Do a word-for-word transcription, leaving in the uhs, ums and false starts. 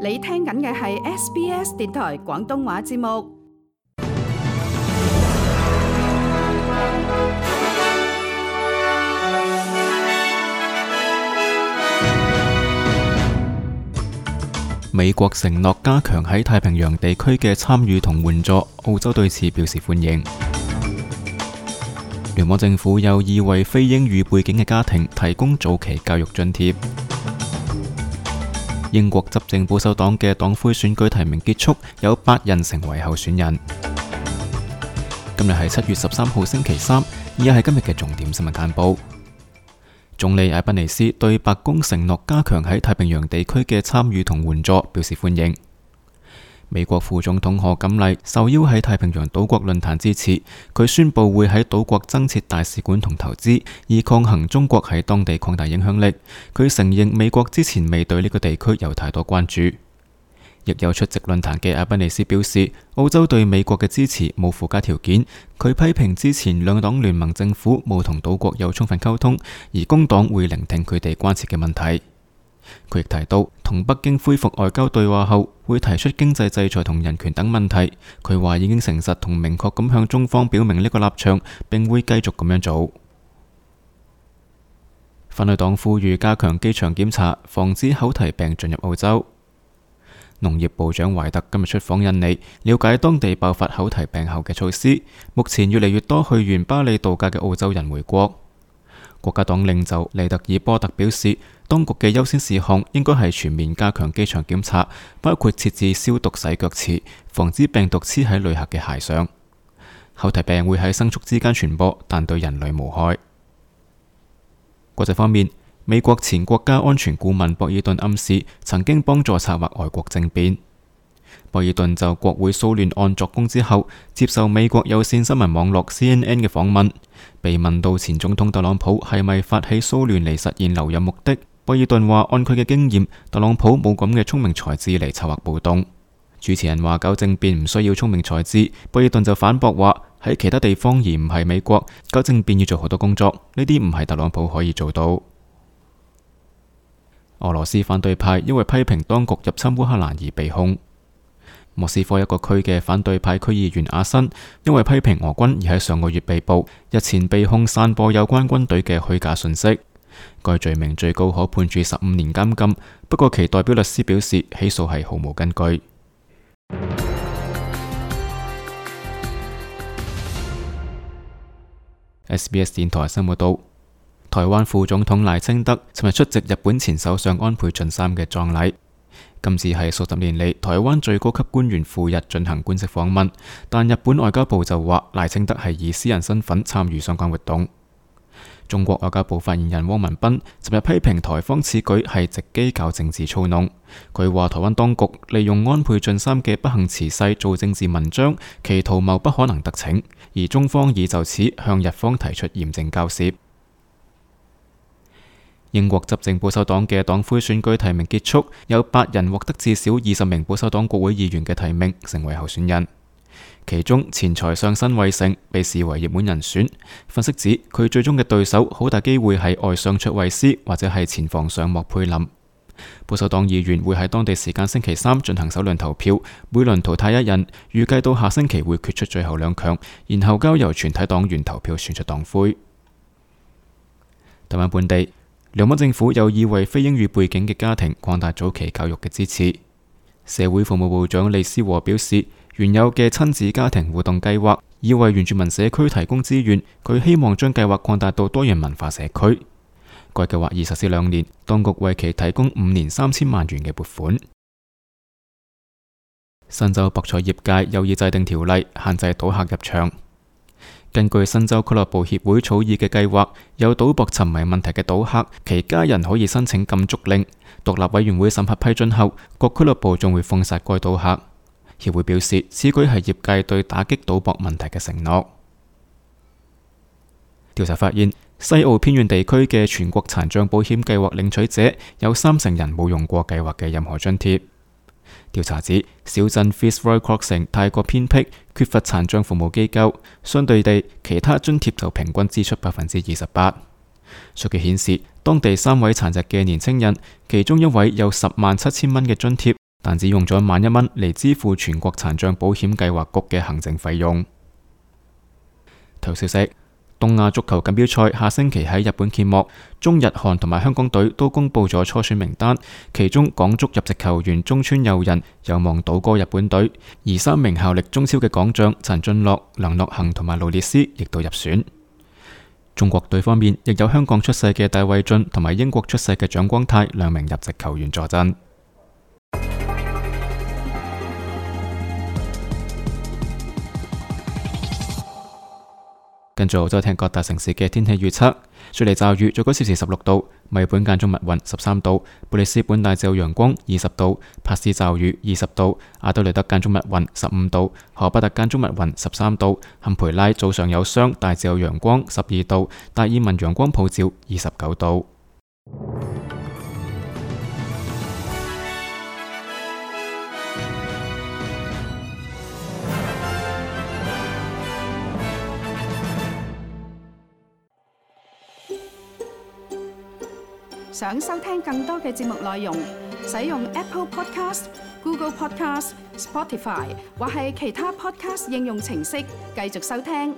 你聽緊嘅係 S B S 電台廣東話節目。美國承諾加強喺太平洋地區嘅參與同援助，澳洲對此表示歡迎。聯邦政府有意為非英語背景嘅家庭提供早期教育津貼。英國執政保守黨嘅黨魁選舉提名結束，有八人成為候選人。今日係七月十三號星期三，以下係今日嘅重點新聞簡報。總理艾賓尼斯對白宮承諾加強喺太平洋地區嘅參與同援助表示歡迎。美國副總統賀錦麗受邀喺太平洋島國論壇致辭，佢宣布會喺島國增設大使館同投資，以抗衡中國喺當地擴大影響力。佢承認美國之前未對呢個地區有太多關注。亦有出席論壇嘅艾賓尼斯表示，澳洲對美國嘅支持冇附加條件。佢批評之前兩黨聯盟政府冇同島國有充分溝通，而工黨會聆聽佢哋關切嘅問題。佢亦提到，同北京恢復外交對話後，會提出經濟制裁同人權等問題。佢話已經誠實同明確咁向中方表明呢個立場，並會繼續咁樣做。反對黨呼籲加強機場檢查，防止口蹄病進入澳洲。農業部長懷特今日出訪印尼，了解當地爆發口蹄病後嘅措施。目前越嚟越多去完巴里度假嘅澳洲人回國。國家黨領袖利特爾波特表示，當局嘅優先事項應該係全面加強機場檢查，包括設置消毒洗腳池，防止病毒黐喺旅客嘅鞋上。口蹄病會喺牲畜之間傳播，但對人類無害。國際方面，美國前國家安全顧問博爾頓暗示曾經幫助策劃外國政變。博爾頓就國會騷亂案作供之後，接受美國有線新聞網絡 C N N 嘅訪問，被問到前總統特朗普係咪發起騷亂嚟實現留任目的，博爾頓話按佢嘅經驗，特朗普冇咁嘅聰明才智嚟策劃暴動。主持人話搞政變唔需要聰明才智，博爾頓就反駁話喺其他地方而唔係美國，搞政變要做好多工作，呢啲唔係特朗普可以做到。俄羅斯反對派因為批評當局入侵烏克蘭而被控。莫斯科一個區嘅反對派區議員阿申因為批評俄軍而喺上個月被捕，日前被控散播有關軍隊嘅虛假信息。該罪名最高可判處十五年監禁，不過其代表律師表示起訴係毫無根據。S B S 電台新聞報道，台灣副總統賴清德尋日出席日本前首相安倍晉三嘅葬禮。今次係數十年嚟台灣最高級官員赴日進行官式訪問，但日本外交部就話賴清德係以私人身份參與相關活動。中國外交部發言人汪文斌尋日批評台方此舉係藉機搞政治操弄。佢話台灣當局利用安倍晉三嘅不幸辭世做政治文章，其圖謀不可能得逞，而中方已就此向日方提出嚴正交涉。英國執政保守黨嘅黨魁選舉提名結束，有八人獲得至少二十名保守黨國會議員嘅提名，成為候選人。其中前財相辛偉誠被視為熱門人選，分析指佢最終嘅對手好大機會係外相卓慧思或者係前防相莫佩林。保守黨議員會喺當地時間星期三進行首輪投票，每輪淘汰一人，預計到下星期會決出最後兩強，然後交由全體黨員投票選出黨魁。台灣本地聯邦政府有意為非英語背景嘅家庭擴大早期教育嘅支持。社會服務部長李思和表示，原有嘅親子家庭互動計劃已為原住民社區提供資源，佢希望將計劃擴大到多元文化社區。該計劃已實施兩年，當局為其提供五年三千萬元嘅撥款。新州博彩業界有意制定條例，限制賭客入場。根據新州俱樂部協會草擬嘅計劃，有賭博沉迷問題嘅賭客，其家人可以申請禁足令。獨立委員會審核批准後，各俱樂部仲會封殺該賭客。協會表示，此舉係業界對打擊賭博問題嘅承諾。調查發現，西澳偏遠地區嘅全國殘障保險計劃領取者有三成人冇用過計劃嘅任何津貼。調查指，小鎮 Fitzroy Crossing 太過偏僻，缺乏殘障服務機構，相對地，其他津貼就平均支出百分之二十八。數據顯示，當地三位殘疾嘅年輕人，其中一位有十萬七千蚊嘅津貼，但只用咗萬一蚊嚟支付全國殘障保險計劃局嘅行政費用。體育消息：東亞足球錦標賽下星期喺日本揭幕，中日韓同埋香港隊都公布咗初選名單，其中港足入籍球員中村佑人有望倒戈日本隊，而三名效力中超嘅港將陳俊樂、梁諾恆同埋盧列斯亦都入選。中國隊方面，亦有香港出世嘅戴偉浚同埋英國出世嘅蔣光太兩名入籍球員助陣。跟住澳洲聽各大城市嘅天氣預測：雪梨驟雨，最高攝氏十六度；墨爾本間中密雲十三度；布里斯本大致有陽光二十度；帕斯驟雨二十度；阿德雷德間中密雲十五度；荷巴特間中密雲十三度；坎培拉早上有霜，大致有陽光十二度；達爾文陽光普照二十九度。想收聽更多嘅節目內容，使用 Apple Podcast、Google Podcast、Spotify 或係其他 Podcast 應用程式繼續收聽。